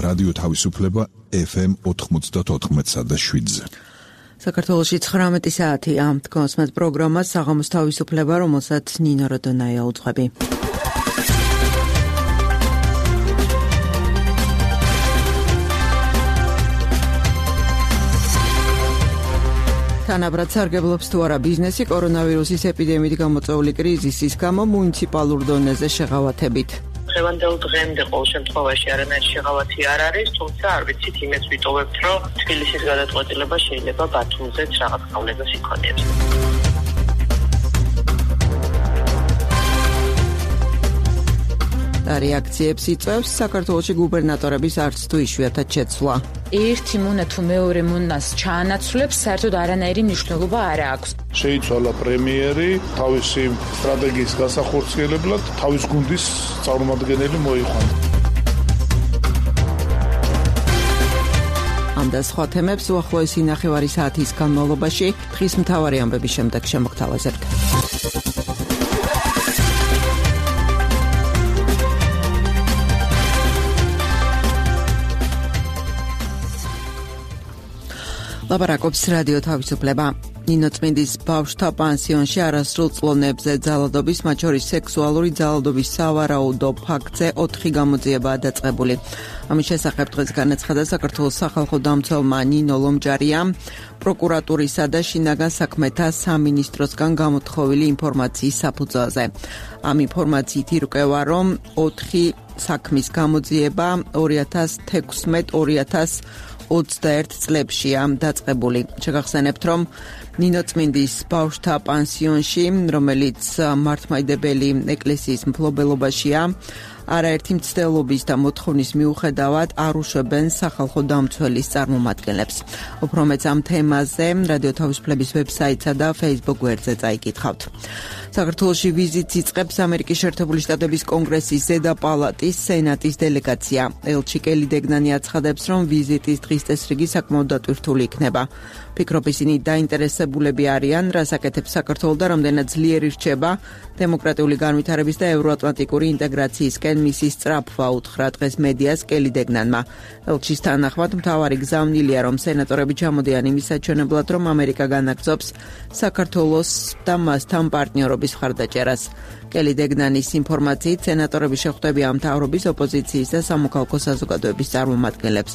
რადიო თავისუფლება FM 94.7-ზე. საქართველოში 19 საათი ამ თქოს მათ პროგრამა საღამოს თავისუფლება, რომელსაც ნინო როდონაია უძღვები. თანაბრად სარგებლობს თუ არა ბიზნესი კორონავირუსის ეპიდემიით გამოწვეული კრიზისის გამო მუნიციპალურ დონეზე შეღავათებით. დღევანდელ დღემდე ყოველ შემთხვევაში არანაირი შეღავათი არ არის, თუმცა არ ვიცით იმეც ვიტოვებთ, რომ თბილისის გადაწყვეტილება შეიძლება ბათუმზეც რაღაც გავლენას იქონიებს. რეაქციებს იწვევს საქართველოში გუბერნატორების არც თუ იშვიათად შეცვლა. ერთი მონა თუ მეორე მონას ჩაანაცვლებს, საერთოდ არანაირი მნიშვნელობა არ აქვს. შეიცვალა პრემიერი თავისი სტრატეგიის გასახორციელებლად, თავის გუნდის წარმომადგენელი მოიყვანა. ამ და სხვა თემებს უახლოესი ნახევარი საათის განმავლობაში დღის მთავარი ამბების შემდეგ შემოგთავაზებთ. ლაპარაკობს რადიო თავისუფლება. ნინო წმინდის ბავშვთა პანსიონში არასრულ წლონებზე ძალადობის, მათ შორის სექსუალური ძალადობის სავარაუდო ფაქტზე 4 გამოძიებაა დაწყებული. ამის შესახებ დღეს განაცხადა საქართველოს სახალხო დამცველმა ნინო ლომჯარიამ პროკურატურისა და შინაგან საქმეთა სამინისტროსგან გამოთხოვილი ინფორმაციის საფუძველზე. ამ ინფორმაციით ირკვევა, რომ 4 საქმის გამოძიება 2016-2021 წლებშია დაწყებული. შეგახსენებთ, რომ ნინო წმინდის ბავშვთა პანსიონში, რომელიც მართლმადიდებელი ეკლესიის მფლობელობაშია, არაერთი მცდელობის და მოთხოვნის მიუხედავად არ უშვებენ სახალხო დამცველის წარმომადგენლებს. უფრო მეც ამ თემაზე რადიო თავისუფლების ვებსაიტსა და Facebook გვერდზე წაიკითხავთ. საქართველოში ვიზიტს იწყებს ამერიკის შეერთებული შტატების კონგრესის ზედა პალატის სენატის დელეგაცია. ელჩი კელი დეგნანი აცხადებს, რომ ვიზიტის დღის წესრიგი საკმაოდ დატვირთული იქნება. ფიქრობ, ისინი დაინტერესებულები არიან, რას აკეთებს საქართველო და რამდენად ძლიერი რჩება დემოკრატიული განვითარების და ევროატლანტიკური ინტეგრაციისკენ მისი სწრაფვა უთხრა დღეს მედიას კელი დეგნანმა. ელჩის თანახმად მთავარი გზავნილია, რომ სენატორები ჩამოდიან იმის საჩვენებლად, რომ ამერიკა განაგრძობს საქართველოს და მასთან პარტნიორობის მხარდაჭერას. კელი დეგნანის ინფორმაციით, სენატორები შეხვდებიან მთავრობის, ოპოზიციის და სამოქალაქო საზოგადოების წარმომადგენლებს.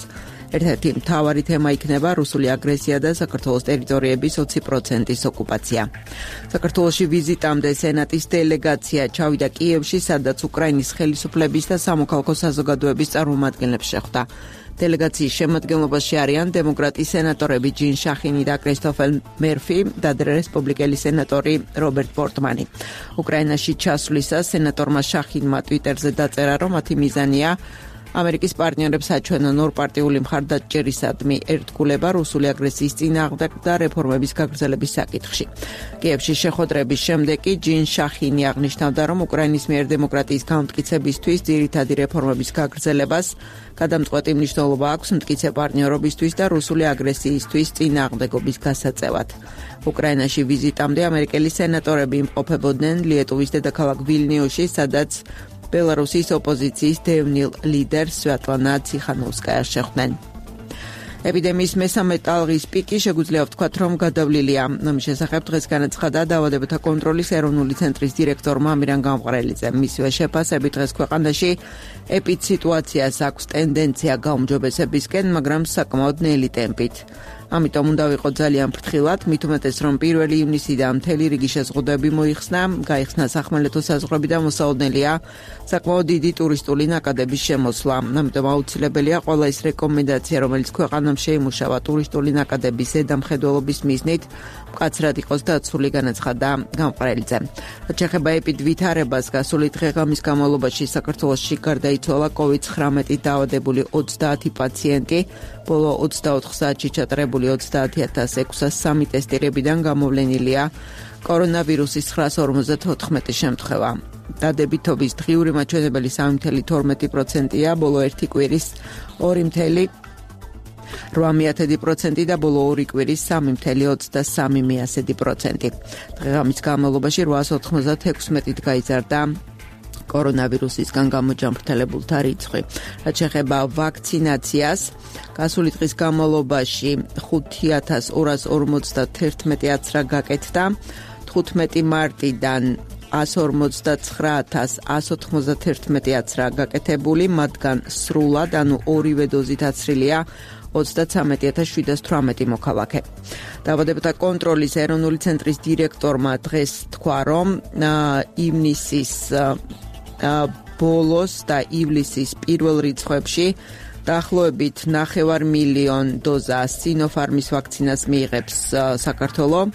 ერთ-ერთი მთავარი თემა იქნება რუსული აგრესია და საქართველოს ტერიტორიების 20%-ის ოკუპაცია. საქართველოში ვიზიტამდე სენატის დელეგაცია ჩავიდა კიევში, სადაც უკრაინის ხელისუფლების და სამოქალაქო საზოგადოების წარმომადგენლებს შეხვდა. დელეგაციის შემადგენლობაში არიან დემოკრატი სენატორები ჯინ შახინი და კრისტოფელ მერფი და რესპუბლიკელი სენატორი რობერტ პორტმანი. უკრაინაში ჩასვლისას სენატორმა შახინმა ტვიტერზე დაწერა, რომ მათი მიზანია ამერიკის პარტნიორებს აჩვენონ ორპარტიული მხარდაჭერისადმი ერთგულება რუსული აგრესიის წინააღმდეგ და რეფორმების გაგრძელების საკითხში. კიევში შეხვედრების შემდეგ კი ჯინ შახინი აღნიშნავდა, რომ უკრაინის მიერ დემოკრატიის განმტკიცებისთვის ძირითადი რეფორმების გაგრძელებას გადამწყვეტი მნიშვნელობა აქვს მტკიცე პარტნიორობისთვის და რუსული აგრესიისთვის წინააღმდეგობის გასაწევად. უკრაინაში ვიზიტამდე ამერიკელი სენატორები იმყოფებოდნენ ლიეტუვის დედაქალაქ ვილნიუსში, სადაც ბელარუსის ოპოზიციის დევნილ ლიდერს სვიატლანა ციხანოვსკაიას შეხვდნენ. ეპიდემიის მესამე ტალღის პიკი შეგვიძლია ვთქვათ, რომ გადავლილია. ამის შესახებ დღეს განაცხადა დაავადებათა კონტროლის ეროვნული ცენტრის დირექტორმა ამირან გამყრელიძემ. მისივე შეფასებით დღეს ქვეყანაში ეპიდსიტუაციას აქვს ტენდენცია გაუმჯობესებისკენ, მაგრამ საკმაოდ ნელი ტემპით. ამიტომ უნდა ვიყოთ ძალიან ფრთხილად, მით უმეტეს რომ 1 ივნისიდან მთელი რიგი შეზღუდვები მოიხსნა, გაიხსნა სახმელეთო საზღვრები და მოსაოდნელია საკმაოდ დიდი ტურისტული ნაკადების შემოსვლა. ამიტომ აუცილებელია ყველა ის რეკომენდაცია, რომელიც ქვეყანამ შეიმუშავა ტურისტული ნაკადების ზედამხედველობის მიზნით, მკაცრად იყოს დაცული, განაცხადა გამყრელიძემ. რაც შეეხება ეპიდვითარებას, გასული დღე-ღამის განმავლობაში საქართველოში გარდაიცვალა COVID-19 დაავადებული 30 პაციენტი, ბოლო 24 საათში ჩატარებული 30,603 ტესტირებიდან გამოვლენილია კორონავირუსის 954 შემთხვევა. დადებითობის დღიური მაჩვენებელი 3,12%-ია, ბოლო ერთი კვირის 2,8% და ბოლო ორი კვირის 3,23%. დღეღამის განმავლობაში 896-ით გაიზარდა კორონავირუსისგან გამოჯამრთელებულთა რიცხვი. რაც შეეხება ვაქცინაციას, გასული დღის განმავლობაში 5251 გაკეთდა, 15 მარტიდან 159,191 გაკეთებული, მათგან სრულად, ანუ ორივე დოზით აცრილია 33,718 მოქალაქე. დაავადებათა კონტროლის ეროვნული ცენტრის დირექტორმა დღეს თქვა, რომ ივნისის ბოლოს და ივლისის პირველ რიცხვებში დაახლოებით 9,5 დოზა სინოფარმის ვაქცინას მიიღებს საქართველო.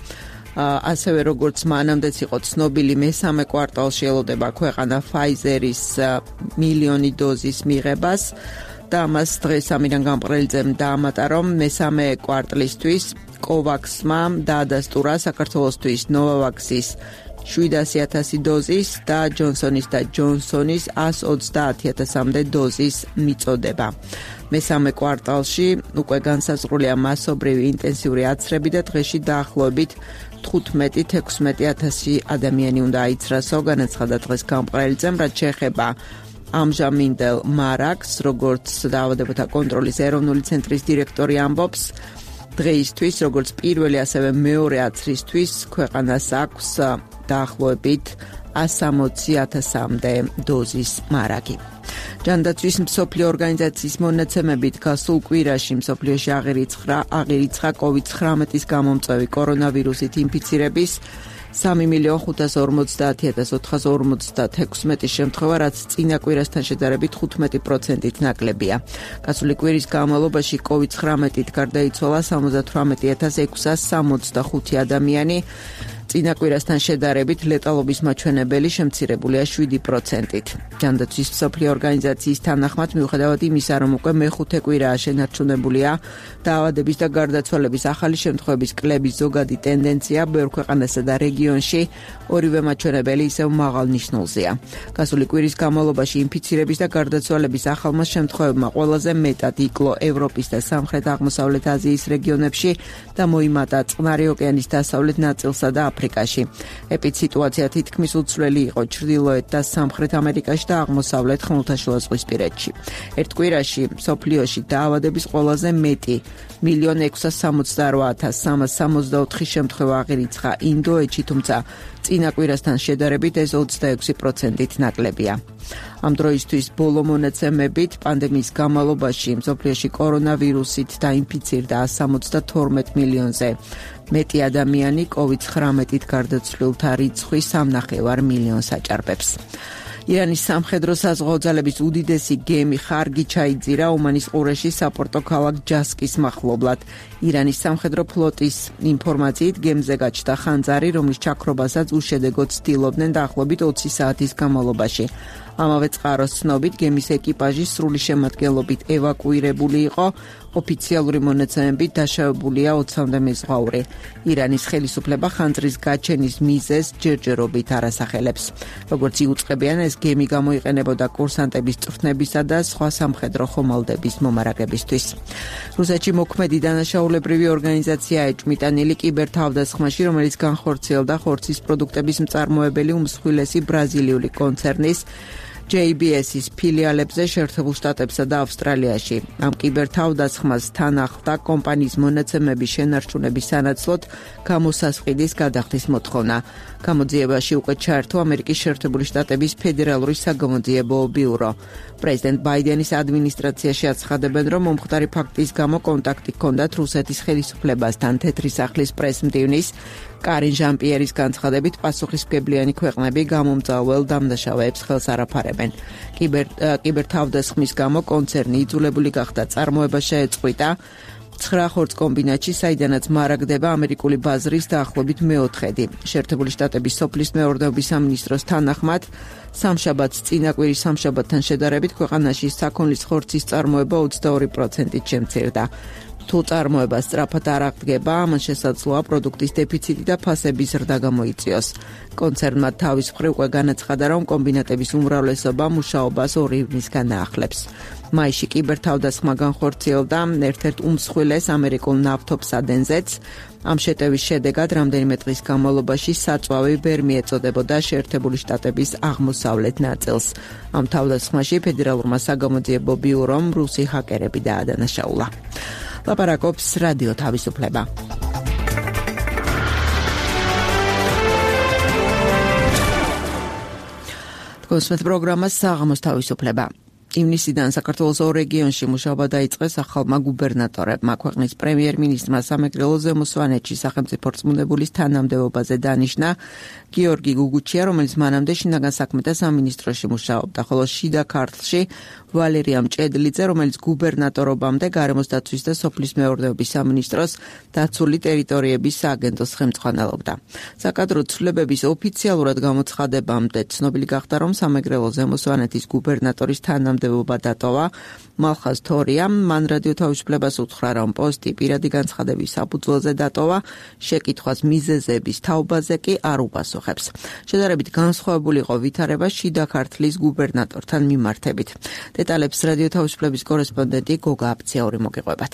ასევე როგორც მანამდეც იყო ცნობილი, მესამე კვარტალში ელოდება ქვეყანა Pfizer-ის 1,000,000 დოზის მიღებას და ამას დღეს ამირან გამყრელიძემ დაამატა, რომ მესამე კვარტლისთვის COVAX-მა დაადასტურა საქართველოსთვის Novavax-ის 700,000 დოზის და Johnson & Johnson-ის 130,000-მდე დოზის მიწოდება. მესამე კვარტალში უკვე განსაზღვრულია მასობრივი ინტენსიური აცრები და დღეში დაახლოებით 15-16,000 ადამიანი უნდა აიცრასო, განაცხადა დღეს გამყრელიძემ, რაც შეეხება ამჟამინდელ მარაგს, როგორც დაავადებათა კონტროლის ეროვნული ცენტრის დირექტორი ამბობს, დღეისთვის, როგორც პირველი, ასევე მეორე აცრისთვის ქვეყანას აქვს დაახლოებით 160,000-მდე დოზის მარაგი. ჯანდაცვის მსოფლიო ორგანიზაციის მონაცემებით გასულ კვირაში მსოფლიოში აღირიცხა COVID-19-ის გამომწვევი კორონავირუსით ინფიცირების 3,50,456 შემთხვევა, რაც წინა კვირასთან შედარებით 15%-ით ნაკლებია. გასული კვირის განმავლობაში COVID-19-ით გარდაიცვალა 78,665 ადამიანი. წინა კვირასთან შედარებით ლეტალობის მაჩვენებელი შემცირებულია 7%-ით. ჯანდაცვის მსოფლიო ორგანიზაციის თანახმად, მიუხედავად იმისა, რომ უკვე მეხუთე კვირაა შენარჩუნებულია დაავადების და გარდაცვალების ახალი შემთხვევების კლების ზოგადი ტენდენცია, ბევრ ქვეყანასა და რეგიონში ორივე მაჩვენებელი ისევ მაღალ ნიშნულზეა. გასული კვირის განმავლობაში ინფიცირების და გარდაცვალების ახალმა შემთხვევებმა ყველაზე მეტად იკლო ევროპის და სამხრეთ-აღმოსავლეთ აზიის რეგიონებში და მოიმატა წყნარი ოკეანის დასავლეთ ნაწილსა და აფრიკაში. ეპიდსიტუაცია თითქმის უცვლელი იყო ჩრდილოეთ და სამხრეთ ამერიკაში და აღმოსავლეთ ხმელთაშუაზღვისპირეთში. ერთ კვირაში მსოფლიოში დაავადების ყველაზე მეტი 1,668,364 შემთხვევა აღირიცხა ინდოეთში, თუმცა წინა კვირასთან შედარებით ეს 26%-ით ნაკლებია. ამ დროისთვის ბოლო მონაცემებით პანდემიის განმავლობაში მსოფლიოში კორონავირუსით დაინფიცირდა 172 მილიონზე მეტი ადამიანი, COVID-19-ით გარდაცვლილთა რიცხვი 3,5 მილიონს აჭარბებს. ირანის სამხედრო საზღვაო ძალების უდიდესი გემი ხარგი ჩაიძირა ომანის ყურეში საპორტო ქალაქ ჯასკის მახლობლად. ირანის სამხედრო ფლოტის ინფორმაციით გემზე გაჩნდა ხანძარი, რომლის ჩაქრობასაც უშედეგოდ ცდილობდნენ დაახლოებით 20 საათის განმავლობაში. ამავე წყაროს ცნობით, გემის ეკიპაჟი სრული შემადგენლობით ევაკუირებული იყო. ოფიციალური მონაცემებით დაშავებულია 20-მდე მეზღვაური. ირანის ხელისუფლება ხანძრის გაჩენის მიზეზს ჯერჯერობით არ ასახელებს. როგორც იუწყებიან, ეს გემი გამოიყენებოდა კურსანტების წვრთნებისა და სხვა სამხედრო ხომალდების მომარაგებისთვის. რუსეთში მოქმედი დანაშაულებრივი ორგანიზაცია ეჭმიტანილი კიბერთავდასხმაში, რომელიც განხორციელდა ხორცის პროდუქტების მწარმოებელი უმსხვილესი ბრაზილიული კონცერნის JBS-ის ფილიალებზე შეერთებულ შტატებსა და ავსტრალიაში. ამ კიბერთავდასხმას თან ახლდა კომპანიის მონაცემების შენარჩუნების სანაცვლოდ გამოსასყიდის გადახდის მოთხოვნა. გამოძიებაში უკვე ჩაერთო ამერიკის შეერთებული შტატების ფედერალური საგამოძიებო ბიურო. პრეზიდენტ ბაიდენის ადმინისტრაციაში აცხადებენ, რომ მომხდარი ფაქტის გამო კონტაქტი ჰქონდათ რუსეთის ხელისუფლებასთან. თეთრი სახლის პრესმდივნის კარინ ჟან-პიერის განცხადებით, პასუხისმგებლიანი ქვეყნები გამომწვეველ დამნაშავეებს ხელს არ აფარებენ. კიბერთავდასხმის გამო კონცერნი იძულებული გახდა წარმოება შეეწყვიტა 9 ხორცკომბინატში, საიდანაც მარაგდება ამერიკული ბაზრის დაახლოებით მეოთხედი. შეერთებული შტატების სოფლის მეურნეობის სამინისტროს თანახმად, სამშაბათს წინა კვირის სამშაბათთან შედარებით ქვეყანაში საქონლის ხორცის წარმოება 22%-ით შემცირდა. თუ წარმოება სწრაფად არ აღდგება, ამან შესაძლოა პროდუქტის დეფიციტი და ფასების ზრდა გამოიწვიოს. კონცერნმა თავის მხრივ უკვე განაცხადა, რომ კომბინატების უმრავლესობა მუშაობას 2 ივნისგან აახლებს. მაისში კიბერთავდასხმა განხორციელდა ერთ-ერთ უმსხვილეს ამერიკულ ნავთობსადენზეც. ამ შეტევის შედეგად რამდენიმე დღის განმავლობაში საწვავი ვერ მიეწოდებოდა შეერთებული შტატების აღმოსავლეთ ნაწილს. ამ თავდასხმაში ფედერალურმა საგამოძიებო ბიურომ რუსი ჰაკერები დაადანაშაულა. ლაპარაკობს რადიო თავისუფლება. კონსმეთ პროგრამა საღამოს თავისუფლება. ივნისიდან საქართველოს 2 რეგიონში მუშაობა დაიწყეს ახალმა გუბერნატორებმა. ქვეყნის პრემიერ-მინისტრმა სამეგრელო ზემოსვანეთში სახელმწიფო რწმუნებულის თანამდებობაზე დანიშნა გიორგი გუგუჩია, რომელიც მანამდე შინაგან საქმეთა სამინისტროში მუშაობდა, ხოლო შიდა ქართლში ვალერია მჭედლიძე, რომელიც გუბერნატორობამდე გარემოს დაცვის და სოფლის მეურნეობის სამინისტროს დაცული ტერიტორიების სააგენტოს ხელმძღვანელობდა. საკადრო ცვლილებების ოფიციალურად გამოცხადებამდე ცნობილი გახდა, რომ სამეგრელო ზემოსვანეთის გუბერნატორის თანამდებობა დატოვა მალხაზ თორიამ. მან რადიო თავისუფლებას უთხრა, რომ პოსტი პირადი განცხადების საფუძველზე დატოვა, შეკითხვას მიზეზების თაობაზე კი არ უპასუხებს. შედარებით განსხვავებული იყო ვითარება შიდა ქართლის გუბერნატორთან მიმართებით. დეტალებს რადიო თავისუფლების კორესპონდენტი გოგა აფციური მოგიყვებათ.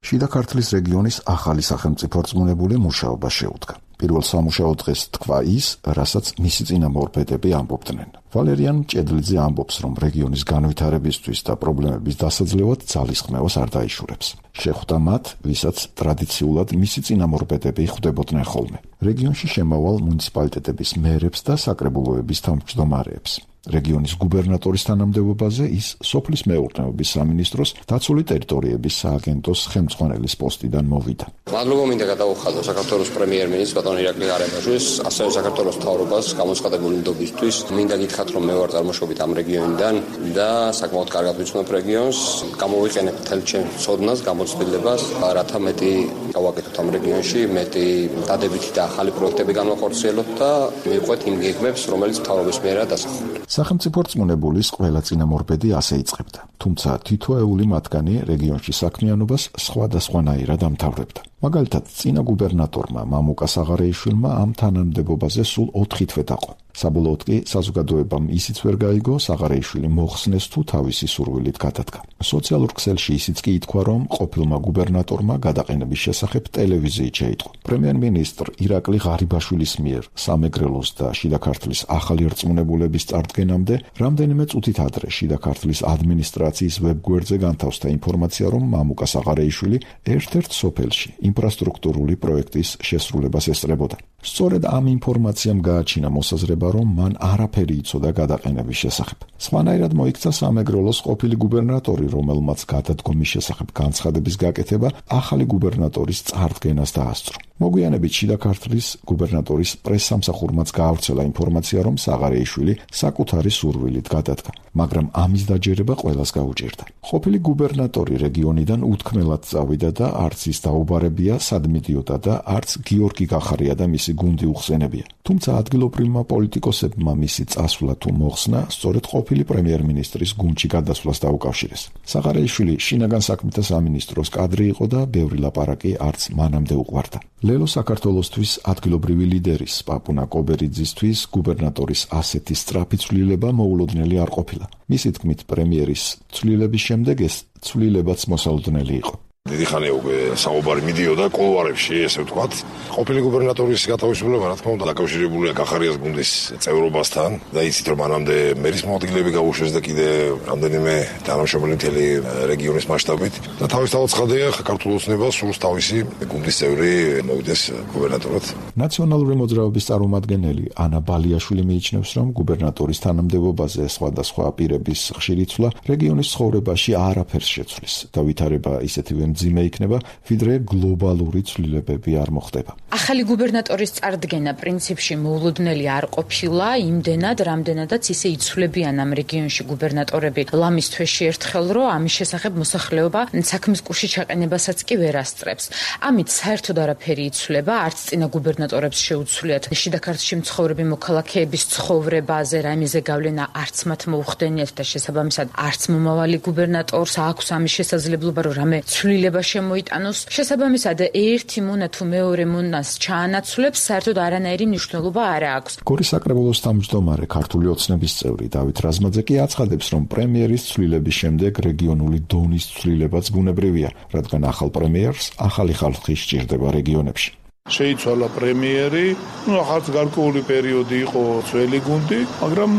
შიდა ქართლის რეგიონის ახალი სახელმწიფო რწმუნებული მუშაობა შეუდგა. პირველ სამუშაო დღეს თქვა ის, რასაც მისი წინამორბედები ამბობდნენ. ვალერიან მჭედლიძე ამბობს, რომ რეგიონის განვითარებისთვის და პრობლემების დასაძლევად ძალისხმევას არ დაიშურებს. შეხვდა მათ, ვისაც ტრადიციულად მისი წინამორბედები ხვდებოდნენ ხოლმე. რეგიონში შემავალ მუნიციპალიტეტების მერებს და საკრებულოების თავმჯდომარეებს. რეგიონის გუბერნატორის თანამდებობაზე ის სოფლის მეურნეობის სამინისტროს დაცული ტერიტორიების სააგენტოს ხელმძღვანელის პოსტიდან მოვიდა. მადლობა მინდა გადავუხადო საქართველოს პრემიერ-მინისტრს ბატონ ირაკლი ღარიბაშვილს, ასევე საქართველოს მთავრობას გამოცხადებული ნდობისთვის. მინდა გითხრათ, რომ მე ვარ წარმოშობით ამ რეგიონიდან და საკმაოდ კარგად ვიცნობ რეგიონს. გამოვიყენებ მთელ ჩემს ცოდნას, გამოცდილებას, რათა მეტი გავაკეთოთ ამ რეგიონში, მეტი დადებითი და ახალი პროექტები განვახორციელოთ და მივყვეთ იმ გეგმებს, რომელიც მთავრობის მიერაა დასახული. სახელმწიფო რწმუნებულის ყველა წინამორბედი ასე იწყებდა, თუმცა თითოეული მათგანი რეგიონში საქმიანობას სხვადასხვანაირად ამთავრებდა. მაგალითად, წინა გუბერნატორმა მამუკა საღარეიშვილმა ამ თანამდებობაზე სულ 4 თვე დაყო. საბოლოოდ კი საზოგადოებამ ისიც ვერ გაიგო, საღარეიშვილი მოხსნეს თუ თავისი სურვილით გადადგა. სოციალურ ქსელში ისიც კი ითქვა, რომ ყოფილმა გუბერნატორმა გადაყენების შესახებ ტელევიზიით შეიტყო. პრემიერ-მინისტრ ირაკლი ღარიბაშვილის მიერ სამეგრელოს და შიდა ქართლის ახალი რწმუნებულების წარდგენამდე რამდენიმე წუთით ადრე შიდა ქართლის ადმინისტრაციის ვებგვერდზე განთავსდა ინფორმაცია, რომ მამუკა საღარეიშვილი ერთ-ერთ სოფელში ინფრასტრუქტურული პროექტის შესრულებას ესწრებოდა. სწორედ ამ ინფორმაციამ გააჩინა მოსაზრება, რომ მან არაფერი იცოდა გადაყენების შესახებ. სხვანაირად მოიქცა სამეგრელოს ყოფილი გუბერნატორი, რომელმაც გადადგომის შესახებ განცხადების გაკეთება ახალი გუბერნატორის წარდგენას დაასწრო. მოგვიანებით შიდა ქართლის გუბერნატორის პრესსამსახურმაც გაავრცელა ინფორმაცია, რომ საღარეიშვილი საკუთარი სურვილით გადადგა, მაგრამ ამის დაჯერება ყველას გაუჭირდა. ყოფილი გუბერნატორი რეგიონიდან უთქმელად წავიდა და არც ის დაუბარებია, სად მიდიოდა და არც გიორგი გახარია და მისი გუნდი უხსენებია. თუმცა ადგილობრივმა პოლიტიკოსებმა მისი წასვლა თუ მოხსნა სწორედ ყოფილი პრემიერ-მინისტრის გუნდში გადასვლას დაუკავშირეს. საღარეიშვილი შინაგან საქმეთა სამინისტროს კადრი იყო და ბევრი ლაპარაკი არც მანამდე უყვარდა. ლელო საქართველოსთვის ადგილობრივი ლიდერის პაპუნა კობერიძისთვის გუბერნატორის ასეთი სწრაფი ცვლილება მოულოდნელი არ ყოფილა. მისი თქმით, პრემიერის ცვლილების შემდეგ ეს ცვლილებაც მოსალოდნელი იყო. დიდი ხანია უკვე საუბარი მიდიოდა კულუარებში, ესე ვთქვათ. ყოფილი გუბერნატორის გათავისუფლება, რა თქმა უნდა, დაკავშირებულია გახარიას გუნდის წევრობასთან და იცით, რომ მანამდე მერის მოადგილეები გაუშვეს და კიდე რამდენიმე თანამშრომელი მთელი რეგიონის მასშტაბით და თავისთავად ცხადია, ქართულ ოცნებას სურს თავისი გუნდის წევრი მოვიდეს გუბერნატორად. ნაციონალური მოძრაობის წარმომადგენელი ანა ბალიაშვილი მიიჩნევს, რომ გუბერნატორის თანამდებობაზე სხვადასხვა პირების ხშირი ცვლა რეგიონის ცხოვრებაში არაფერს შეცვლის და ვითარება ისეთივე მძიმე იქნება, ვიდრე გლობალური ცვლილებები არ მოხდება. ახალი გუბერნატორის წარდგენა პრინციპში მოულოდნელი არ ყოფილა, იმდენად, რამდენადაც ისე იცვლებიან ამ რეგიონში გუბერნატორები ლამის თვეში ერთხელ, რომ ამის შესახებ მოსახლეობა საქმის კურსში ჩაყენებასაც კი ვერ ასწრებს. ამით საერთოდ არაფერი იცვლება, არც წინა გუბერნატორებს შეუცვლიათ შიდა ქართლში მცხოვრები მოქალაქეების ცხოვრებაზე რაიმეზე გავლენა არც მათ მოუხდენიათ და შესაბამისად არც მომავალი გუბერნატორს აქვს ამის შესაძლებლობა, რომ რამე ცვლილება შემოიტანოს. შესაბამისად ერთი მონა თუ მეორე მონას ჩაანაცვლებს, საერთოდ არანაირი მნიშვნელობა არ აქვს. გორის საკრებულოს თავმჯდომარე ქართული ოცნების წევრი დავით რაზმაძე კი აცხადებს, რომ პრემიერის ცვლილების შემდეგ რეგიონული დონის ცვლილებაც ბუნებრივია, რადგან ახალ პრემიერს ახალი ხალხი სჭირდება რეგიონებში. შეიცვალა პრემიერი, ახალ გარკვეული პერიოდი იყო ძველი გუნდი, მაგრამ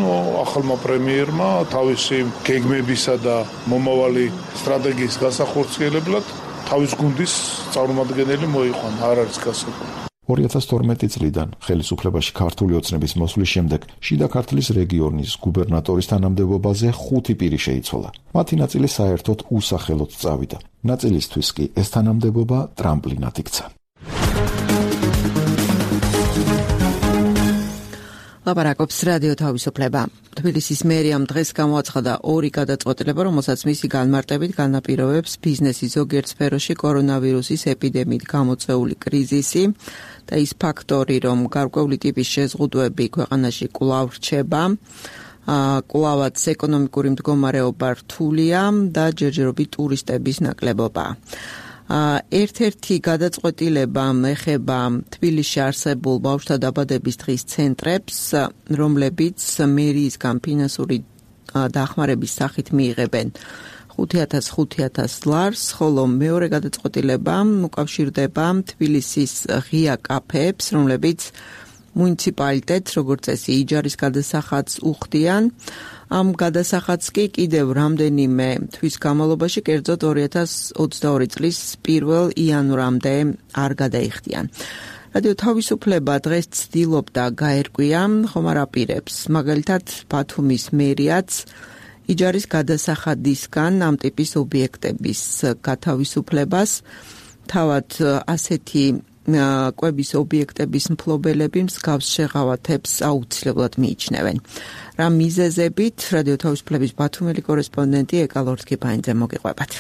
ახალმა პრემიერმა თავისი გეგმებისა და მომავალი სტრატეგიის გასახორციელებლად თავის გუნდის წარმომადგენელი მოიყვანა, არ არის გასაგები. 2012 წლიდან ხელისუფლებაში ქართული ოცნების მოსვლის შემდეგ შიდა ქართლის რეგიონის გუბერნატორის თანამდებობაზე 5 პირი შეიცვალა. მათი ნაწილი საერთოდ უსახელოდ წავიდა. ნაწილისთვის კი ეს თანამდებობა ტრამპლინად იქცა. ლაპარაკობს რადიო თავისუფლება. თბილისის მერიამ დღეს გამოაცხადა 2 გადაწყვეტილება, რომელსაც მისი განმარტებით განაპირობებს ბიზნესის ზოგიერთ სფეროში კორონავირუსის ეპიდემიით გამოწვეული კრიზისი და ის ფაქტორი, რომ გარკვეული ტიპის შეზღუდვები ქვეყანაში კვლავ რჩება, კვლავაც ეკონომიკური მდგომარეობა რთულია და ჯერჯერობით ტურისტების ნაკლებობა. ერთ-ერთი გადაწყვეტილება ეხება თბილისში არსებულ ბავშვთა დაბადების დღის ცენტრებს, რომლებიც მერიისგან ფინანსური დახმარების სახით მიიღებენ 5,000 ლარს, ხოლო მეორე გადაწყვეტილება უკავშირდება თბილისის ღია კაფეებს, რომლებიც მუნიციპალიტეტს, როგორც წესი, იჯარის გადასახადს უხდიან. ამ გადასახადს კი კიდევ რამდენიმე თვის განმავლობაში, კერძოდ 2022 წლის 1 იანვრამდე არ გადაიხდიან. რადიო თავისუფლება დღეს ცდილობდა გაერკვია, ხომ არ აპირებს. მაგალითად, ბათუმის მერიაც იჯარის გადასახადისგან ამ ტიპის ობიექტების გათავისუფლებას, თავად ასეთი კვების ობიექტების მფლობელები მსგავს შეღავათებს აუცილებლად მიიჩნევენ. რა მიზეზებით რადიო თავისუფლების ბათუმელი კორესპონდენტი ეკალორთქიფაინძე მოგიყვებათ.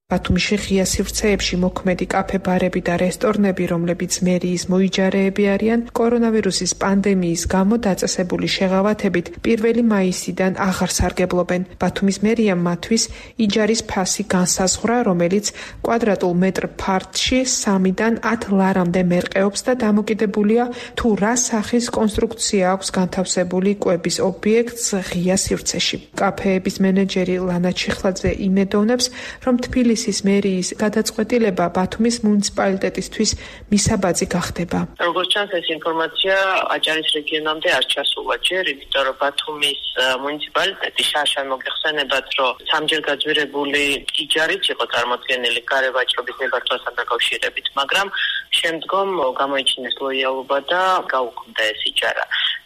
ბათუმში ღია სივრცეებში მოქმედი კაფე-ბარები და რესტორნები, რომლებიც მერიის მოიჯარეები არიან, კორონავირუსის პანდემიის გამო დაწესებული შეღავათებით 1 მაისიდან აღარ სარგებლობენ. ბათუმის მერიამ მათთვის იჯარის ფასი განსაზღვრა, რომელიც კვადრატულ მეტრ ფართში 3-დან 10 ლარამდე მერყეობს და დამოკიდებულია თუ რა სახის კონსტრუქცია აქვს განთავსებული კვების ობიექტს ღია სივრცეში. კაფეების მენეჯერი ლანა ჩიხლაძე იმედოვნებს, რომ თბილისის მერიის გადაწყვეტილება ბათუმის მუნიციპალიტეტისთვის მისაბაძი გახდება. როგორც ჩანს, ეს ინფორმაცია აჭარის რეგიონამდე არ ჩასულა ჯერ, იმიტომ რომ ბათუმის მუნიციპალიტეტი შარშან მოგეხსენებათ, რომ სამჯერ გაძვირებული იჯარით იყო წარმოდგენილი გარევაჭრობის ნებართვასთან დაკავშირებით, მაგრამ შემდგომ გამოიჩინეს ლოიალობა და გაუქმდა ეს იჯარა.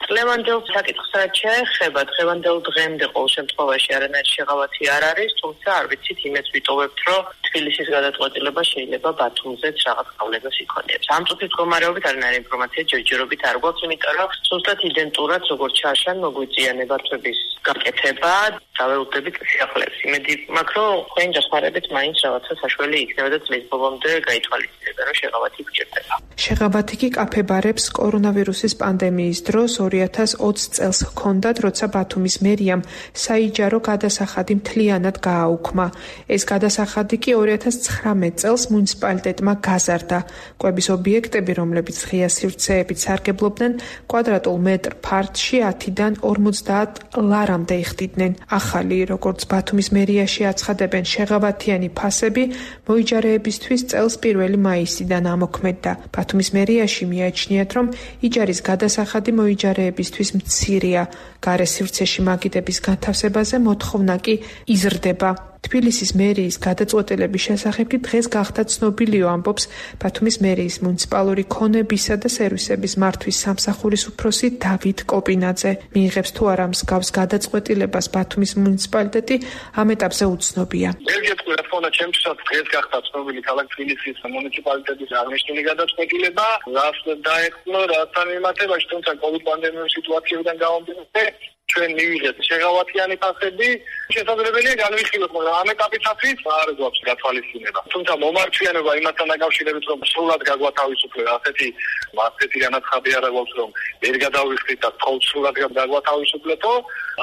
წლევანდელ საკითხს რაც შეეხება, დღევანდელ დღემდე ყოველ შემთხვევაში არანაირი შეღავათი არ არის, თუმცა არ ვიცით, იმეც ვიტოვებთ, რომ თბილისის გადაწყვეტილება შეიძლება ბათუმზეც რაღაც გავლენას იქონიებს. ამ წუთის მდგომარეობით არანაირი ინფორმაცია ჯერჯერობით არ გვაქვს, იმიტომ რომ ზუსტად იდენტურად როგორც შარშან მოგვიწია ნებართვების გაკეთება, დაველოდებით სიახლეებს. იმედი მაქვს, რომ თქვენი დახმარებით მაინც რაღაცა საშველი იქნება და წლის ბოლომდე გაითვალისწინებენ, რომ შეღავათი გჭირდება. შეღავათი კი კაფე-ბარებს კორონავირუსის პანდემიის დროს 2020 წელს ჰქონდათ, როცა ბათუმის მერიამ საიჯარო გადასახადი მთლიანად გააუქმა. ეს გადასახადი კი 2019 წელს მუნიციპალიტეტმა გაზარდა. კვების ობიექტები, რომლებიც ღია სივრცეებით სარგებლობდნენ, კვადრატულ მეტრ ფართში 10-დან 50 ლარამდე იხდიდნენ. ახალი, როგორც ბათუმის მერიაში აცხადებენ, შეღავათიანი ფასები მოიჯარეებისთვის წელს 1 მაისიდან ამოქმედდა. ბათუმის მერიაში მიაჩნიათ, რომ იჯარის გადასახადი მოიჯარეებისთვის მცირეა. გარე სივრცეში მაგიდების განთავსებაზე მოთხოვნა კი იზრდება. თბილისის მერიის გადაწყვეტილების შესახებ კი დღეს გახდა ცნობილიო, ამბობს ბათუმის მერიის მუნიციპალური ქონებისა და სერვისების მართვის სამსახურის უფროსი დავით კოპინაძე. მიიღებს თუ არა მსგავს გადაწყვეტილებას ბათუმის მუნიციპალიტეტი ამ ეტაპზე უცნობია. რა თქმა უნდა, ჩემთვისაც დღეს გახდა ცნობილი ქალაქ თბილისის მუნიციპალიტეტის აღნიშნული გადაწყვეტილება, რაც დაეხმო რათან მიმართებაში, თუმცა COVID პანდემიის სიტუაციიდან გამომდინარე, ჩვენ მივიღეთ შეღავათიანი ფასები, შესაძლებელია განვიხილოთ, მაგრამ ამ ეტაპისათვის არ გვაქვს გათვალისწინება. თუმცა მომარჩიანება იმასთან დაკავშირებით, რომ სრულად გაგვათავისუფლება, ასეთი განაცხადი არა გვაქვს, რომ ვერ გადავიხდით და თხოვთ სრულად გაგვათავისუფლეთო,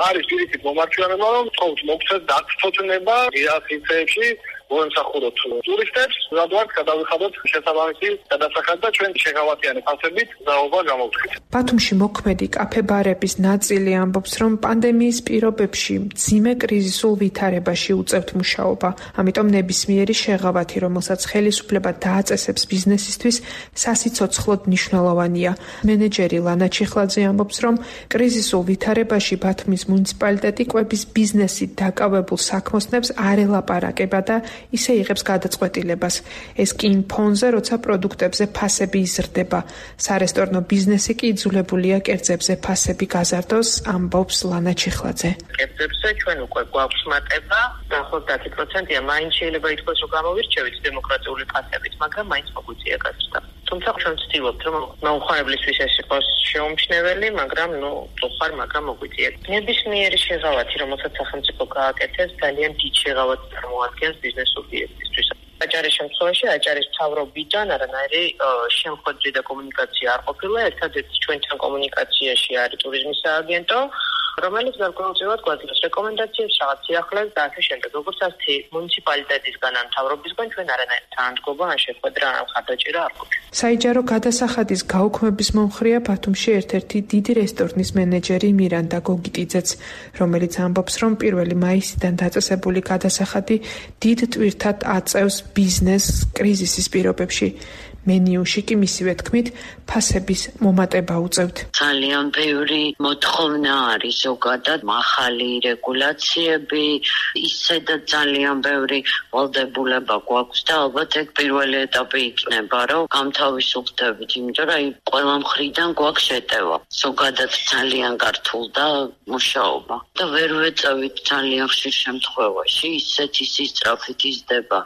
არის პირიქით მომარჩიანება, რომ თხოვთ მოგცეთ დაცოცნება იასიცეებში მოემსახუროთ ტურისტებს, რადგან გადავიხადოთ შესაბამისი გადასახადი და ჩვენ შეღავათიანი ფასებით ზაობა გამოვხდით. ბათუმში მოქმედი კაფე-ბარების ნაწილი ამბობს, რომ პანდემიის პირობებში მძიმე კრიზისულ ვითარებაში უწევთ მუშაობა. ამიტომ ნებისმიერი შეღავათი, რომელსაც ხელისუფლება დააწესებს ბიზნესისთვის, სასიცოცხლოდ მნიშვნელოვანია. მენეჯერი ლანა ჩიხლაძე ამბობს, რომ კრიზისულ ვითარებაში ბათუმის მუნიციპალიტეტი კვების ბიზნესით დაკავებულ საქმოსნებს არ ელაპარაკება და ისე იღებს გადაწყვეტილებას. ეს კი იმ ფონზე, როცა პროდუქტებზე ფასები იზრდება. სარესტორნო ბიზნესი კი იძულებულია კერძებზე ფასები გაზარდოს, ამბობს ლანა ჩიხლაძე. კერძებზე ჩვენ უკვე გვაქვს მატება, დაახლოებით 10%-ია, მაინც შეიძლება ითქვას, რომ გამოვირჩევით დემოკრატიული ფასებით, მაგრამ მაინც მოგვიწია გაზრდა. თუმცა ჩვენ ვცდილობთ, რომ მომხმარებლისთვის ეს იყოს შეუმჩნეველი, მაგრამ მაგრამ მოგვიწია. ნებისმიერი შეღავათი, რომელსაც სახელმწიფო გააკეთებს, ძალიან დიდ შეღავათს წარმოადგენს ბიზნეს სუბიექტისთვის. აჭარის შემთხვევაში აჭარის მთავრობიდან არანაირი შემოქმედი და კომუნიკაცია არ ყოფილა. ერთადერთი ჩვენთან კომუნიკაციაში არის ტურიზმის სააგენტო, რომელიც გარკვეულწილად გვაძლევს რეკომენდაციებს, რაღაც სიახლეს და ასე შემდეგ. როგორც ასეთი მუნიციპალიტეტისგან ან მთავრობისგან ჩვენ არანაირი თანადგობა ან შეხვედრა ან ხარდაჭერა არ გვაქვს. საიჯარო გადასახადის გაუქმების მომხრეა ბათუმში ერთ-ერთი დიდი რესტორნის მენეჯერი მირანდა გოგიტიძეც, რომელიც ამბობს, რომ 1 მაისიდან დაწესებული გადასახადი დიდ ტვირთად აწევს ბიზნესს კრიზისის პირობებში. მენიუში კი მისივე თქმით ფასების მომატება უწევთ. ძალიან ბევრი მოთხოვნა არის ზოგადად, მახალი რეგულაციები, ისე და ძალიან ბევრი ვალდებულება გვაქვს და ალბათ ეგ პირველი ეტაპი იქნება, რომ გამთავისუფლდებით, იმიტომ რომ ყველა მხრიდან გვაქვს შეტევა. ზოგადად ძალიან გართულდა მუშაობა და ვერ ვეწევით ძალიან ხშირ შემთხვევაში ისეთი სისწრაფით იზრდება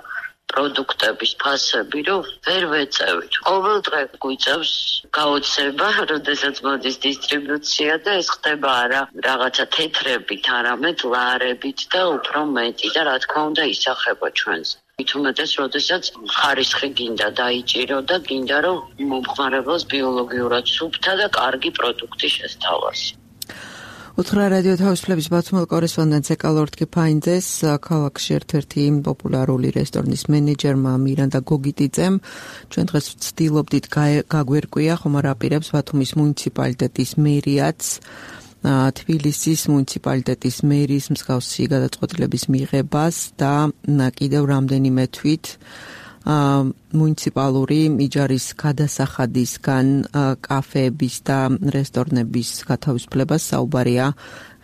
პროდუქტების ფასები, რომ ვერ ვეწევით. ყოველ დღე გვიწევს გაოცება, როდესაც მოდის დისტრიბუცია და ეს ხდება არა რაღაცა თეთრებით, არამედ ლარებით და უფრო მეტი და რა თქმა უნდა ისახება ჩვენს. მით უმეტეს, როდესაც ხარისხი გინდა დაიჭირო და გინდა რომ მომხმარებელს ბიოლოგიურად სუფთა და კარგი პროდუქტი შესთავას. უთხრა რადიო თავისუფლების ბათუმელ კორესპონდენტს ეკალორტკი ფაინძეს ქალაქში ერთ-ერთი პოპულარული რესტორნის მენეჯერმა მირანდა გოგიტიძემ ჩვენ დღეს ვცდილობდით გაგვერკვია ხომ არ აპირებს ბათუმის მუნიციპალიტეტის მერიაც თბილისის მუნიციპალიტეტის მერის მსგავსი გადაწყვეტილების მიღებას და კიდევ რამდენიმე თვით მუნიციპალური იჯარის გადასახადისგან კაფეების და რესტორნების გათავისუფლებას საუბარია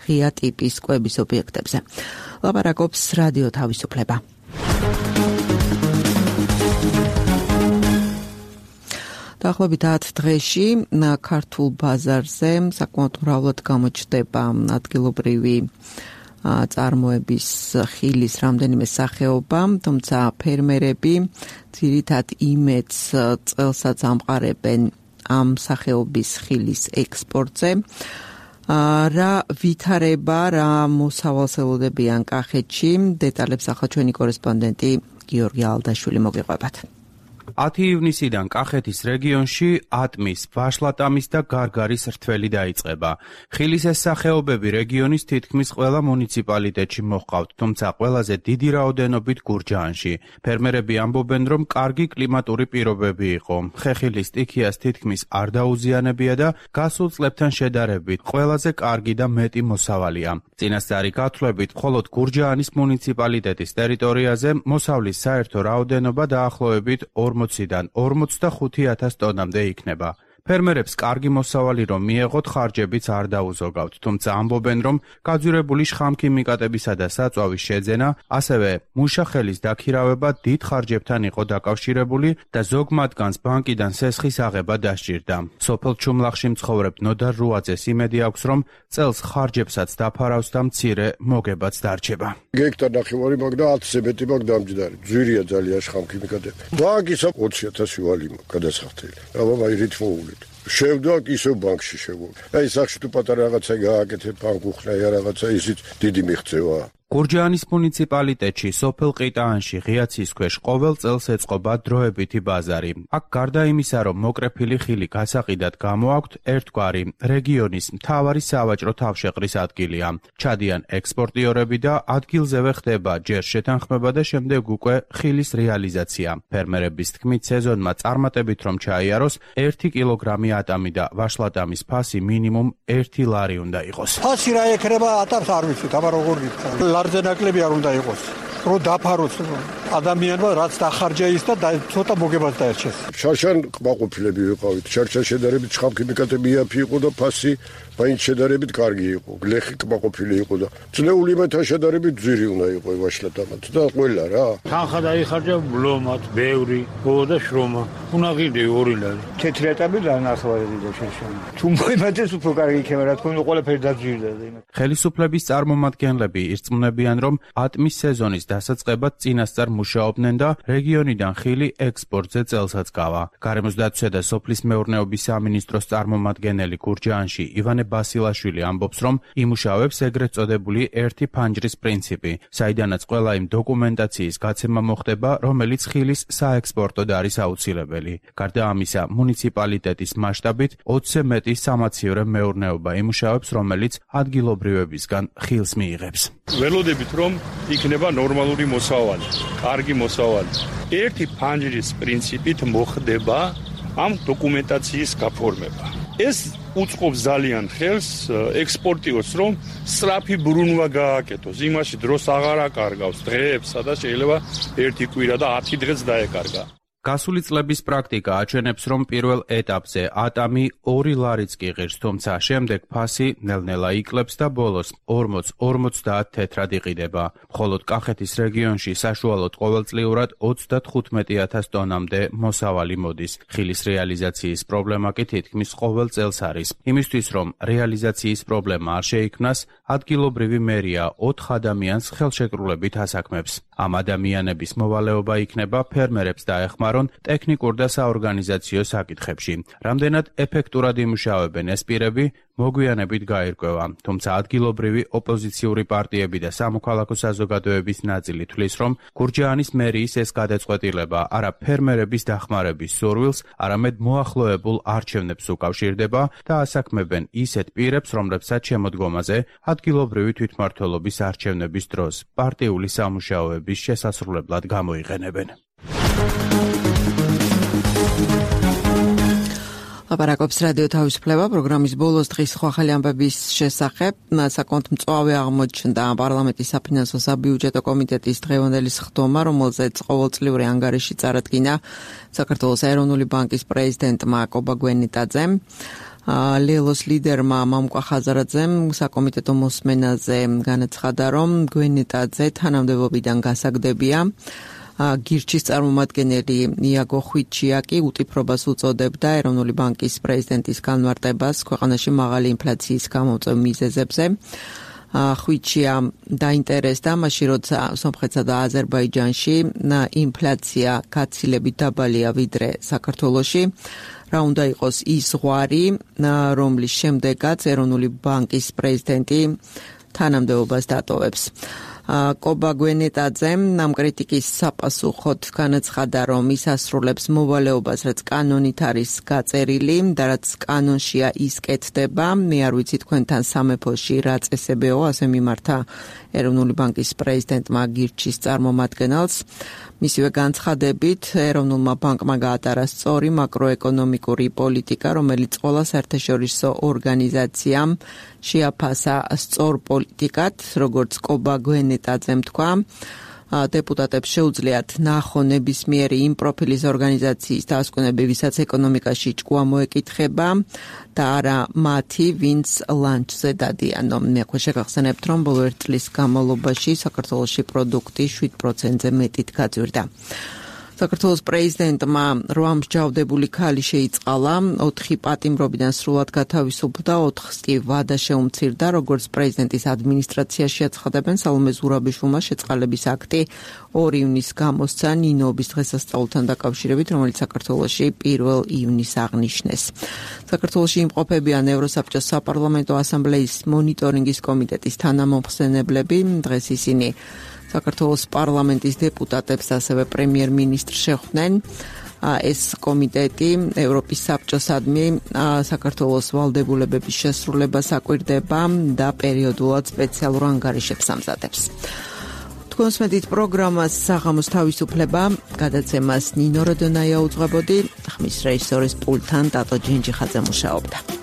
ღია ტიპის კვების ობიექტებზე. ლაპარაკობს რადიო თავისუფლება. დაახლოებით 10 დღეში ქართულ ბაზარზე საკმაოდ მრავლად გამოჩნდება ადგილობრივი წარმოების ხილის რამდენიმე სახეობა, თუმცა ფერმერები ძირითად იმედს წელსაც ამყარებენ ამ სახეობის ხილის ექსპორტზე. რა ვითარება, რა მოსავალს ელოდებიან კახეთში, დეტალებს ახლა ჩვენი კორესპონდენტი გიორგი ალდაშვილი მოგიყვებათ. 10 ივნისიდან კახეთის რეგიონში ატმის, ვაშლატამის და გარგარის რთველი დაიწყება. ხილის ეს სახეობები რეგიონის თითქმის ყველა მუნიციპალიტეტში მოჰყავთ, თუმცა ყველაზე დიდი რაოდენობით გურჯაანში. ფერმერები ამბობენ, რომ კარგი კლიმატური პირობები იყო. ხეხილის სტიქიას თითქმის არ დაუზიანებია და გასულ წლებთან შედარებით ყველაზე კარგი და მეტი მოსავალია. წინასწარი გათვლებით, მხოლოდ გურჯაანის მუნიციპალიტეტის ტერიტორიაზე მოსავლის საერთო რაოდენობა დაახლოებით 40-დან 45,000 ტონამდე იქნება. ფერმერებს კარგი მოსავალი რომ მიეღოთ, ხარჯებიც არ დაუზოგავთ, თუმცა ამბობენ, რომ გაძვირებული შხამქიმიკატებისა და საწვავის შეძენა, ასევე მუშახელის დაქირავება დიდ ხარჯებთან იყო დაკავშირებული და ზოგ მათგანს ბანკიდან სესხის აღება დასჭირდა. სოფელ ჩუმლახში მცხოვრებ ნოდარ რუაძეს იმედი აქვს, რომ წელს ხარჯებსაც დაფარავს და მცირე მოგებაც დარჩება. გექტარ ნახევარი მაგ და 10-ზე მეტი მაგ დამჯდარი. ძვირია ძალიან შხამქიმიკატები. ბანკისა 20,000 ვალი გადასახდელი. აბა რითმოულით. შევდვაკ ისევ ბანკში შევდვაკ. აი სახში თუ პატარა რაღაცა გააკეთე ბანკ უხნაია რაღაცა ისიც დიდი მიღწევა. გურჯაანის მუნიციპალიტეტში სოფელ ყიტაანში ღიაცის ქვეშ ყოველ წელს ეწყობა დროებითი ბაზარი. აქ გარდა იმისა, რომ მოკრეფილი ხილი გასაყიდად გამოაქვთ, ერთგვარი რეგიონის მთავარი სავაჭრო თავშეყრის ადგილია. ჩადიან ექსპორტიორები და ადგილზევე ხდება ჯერ შეთანხმება და შემდეგ უკვე ხილის რეალიზაცია. ფერმერების თქმით, სეზონმა წარმატებით რომ ჩაიაროს, 1 კილოგრამი ატამი და ვაშლატამის ფასი მინიმუმ 1 ლარი უნდა იყოს. ფასი რა ეკრება ატამს არ ვიცით, აბა როგორ გიქცა. ლარზე ნაკლები არ უნდა იყოს. რო დაფაროს ადამიანმა რაც დახარჯა ის და ცოტა მოგებას დაერჩეს. შარშან ყმაყოფილები ვიყავით. შარშან შედარებით შხამქიმიკატები იაფი იყო და ფასი მაინც შედარებით კარგი იყო. გლეხი ყმაყოფილი იყო და ძნეული მეთან შედარებით ძვირი უნდა იყო ვაშლატამაც და ყველა რა. თანხა დაიხარჯა ბლომად, ბევრი, და შრომა. უნდა ღირდი 2 ლარი. თეთრი ატამი დანახავარი და შარშან. თუ მოიმატეს უფრო კარგი იქნება, რა თქმა უნდა, ყველაფერი დაძვირდა და იმათ. ხელისუფლების წარმომადგენლები ირწმუნებიან, რომ ატმის სეზონის დასაწყებად წინასწარ მუშაობდნენ და რეგიონიდან ხილი ექსპორტზე წელსაც გავა. გარემოსდაცვისა და სოფლის მეურნეობის სამინისტროს წარმომადგენელი გურჯაანში ივანე ბასილაშვილი ამბობს, რომ იმუშავებს ეგრეთ წოდებული ერთი ფანჯრის პრინციპი, საიდანაც ყველა იმ დოკუმენტაციის გაცემა მოხდება, რომელიც ხილის საექსპორტოდ არის აუცილებელი. გარდა ამისა, მუნიციპალიტეტის მასშტაბით 20-ზე მეტი სამაცივრე მეურნეობა იმუშავებს, რომელიც ადგილობრივებისგან ხილს მიიღებს. ველოდებით რომ იქნება ნორმალური მოსავალი, კარგი მოსავალი. ერთი ფანჯრის პრინციპით მოხდება ამ დოკუმენტაციის გაფორმება. ეს უწყობს ძალიან ხელს ექსპორტიორს, რომ სწრაფი ბრუნვა გააკეთოს. იმაში დროს აღარ აკარგავს დღეებს, სადაც შეიძლება 1 კვირა და 10 დღეც დაეკარგა. გასული წლების პრაქტიკა აჩვენებს, რომ პირველ ეტაპზე ატამი 2 ლარიც კი ღირს, თუმცა შემდეგ ფასი ნელ-ნელა იკლებს და ბოლოს 40-50 თეთრად იყიდება. მხოლოდ კახეთის რეგიონში საშუალოდ ყოველწლიურად 35,000 ტონამდე მოსავალი მოდის. ხილის რეალიზაციის პრობლემა კი თითქმის ყოველ წელს არის. იმისთვის, რომ რეალიზაციის პრობლემა არ შეიქმნას, ადგილობრივი მერია 4 ადამიანს ხელშეკრულებით ასაქმებს. ამ ადამიანების მოვალეობა იქნება ფერმერებს დაეხმარონ ტექნიკურ და საორგანიზაციო საკითხებში. რამდენად ეფექტურად იმუშავებენ ეს პირები, მოგვიანებით გაირკვევა. თუმცა ადგილობრივი ოპოზიციური პარტიები და სამოქალაქო საზოგადოების ნაწილი თვლის, რომ გურჯაანის მერიის ეს გადაწყვეტილება არა ფერმერების დახმარების სურვილს, არამედ მოახლოებულ არჩევნებს უკავშირდება და ასაქმებენ ისეთ პირებს, რომლებსაც შემოდგომაზე ადგილობრივი თვითმმართველობის არჩევნების დროს პარტიული სამუშაოების შესასრულებლად გამოიყენებენ. ლაპარაკობს რადიო თავისუფლება პროგრამის ბოლოს დღის ახალი ამბების შესახებ. საკონტ მწვავე აღმოჩნდა პარლამენტის საფინანსო საბიუჯეტო კომიტეტის დღევანდელი სხდომა, რომელზეც ყოველწლიური ანგარიში წარადგინა საქართველოს ეროვნული ბანკის პრეზიდენტმა კობა გვენიტაძემ. ლელოს ლიდერმა მამუკა ხაზარაძემ საკომიტეტო მოსმენაზე განაცხადა, რომ გვენიტაძე თანამდებობიდან გასაგდებია. გირჩის წარმომადგენელი იაგო ხვიჩიაკი უტიფრობას უწოდებდა ეროვნული ბანკის პრეზიდენტის განმარტებას ქვეყანაში მაღალი ინფლაციის გამომწვევ მიზეზებზე. ხვიჩია დაინტერესდა მაშინ, როცა სომხეთსა და აზერბაიჯანში ინფლაცია გაცილებით დაბალია ვიდრე საქართველოში. რა უნდა იყოს ის ზღვარი, რომლის შემდეგაც ეროვნული ბანკის პრეზიდენტი თანამდებობას დატოვებს. კობა გვენეტაძემ ამ კრიტიკის საპასუხოდ განაცხადა, რომ ის ასრულებს მოვალეობას, რაც კანონით არის გაწერილი და რაც კანონშია ის კეთდება. მე არ ვიცი თქვენთან სამეფოში რა წესებეო, ასე მიმართა ეროვნული ბანკის პრეზიდენტმა გირჩის წარმომადგენელს. მისივე განცხადებით, ეროვნულმა ბანკმა გაატარა სწორი მაკროეკონომიკური პოლიტიკა, რომელიც ყველა საერთაშორისო ორგანიზაციამ შეაფასა სწორ პოლიტიკად, როგორც კობა გვენეტაძემ თქვა. დეპუტატებს შეუძლიათ ნახონ ნებისმიერი იმ პროფილის ორგანიზაციის დაასკვნები, ვისაც ეკონომიკაში ჭკუა მოეკითხება და არა მათი, ვინც ლანჩზე დადიანო. მე შეგახსენებთ, რომ ბოლო 1 წლის განმავლობაში საქართველოში პროდუქტი 7%-ზე მეტით გაძვირდა. საქართველოს პრეზიდენტმა 8 მსჯავრდებული ქალი შეიწყალა, 4 პატიმრობიდან სრულად გათავისუფლდა, 4-ს კი ვადა შეუმცირდა, როგორც პრეზიდენტის ადმინისტრაციაში აცხადებენ. სალომე ზურაბიშვილმა შეწყალების აქტი 2 ივნისს გამოსცა ნინოობის დღესასწაულთან დაკავშირებით, რომელიც საქართველოში 1 ივნისს აღნიშნეს. საქართველოში იმყოფებიან ევროსაბჭოს საპარლამენტო ასამბლეის მონიტორინგის კომიტეტის თანამომხსენებლები. დღეს ისინი საქართველოს პარლამენტის დეპუტატებს, ასევე პრემიერ-მინისტრს შეხვდნენ. ეს კომიტეტი ევროპის საბჭოსადმი საქართველოს ვალდებულებების შესრულებას აკვირდება და პერიოდულად სპეციალურ ანგარიშებს ამზადებს. თქვენს მედით პროგრამას საღამოს თავისუფლება გადაცემას ნინო როდონაია უძღვებოდი, ხმის რეჟისორის პულტთან დატო ჯინჯიხაძე მუშაობდა.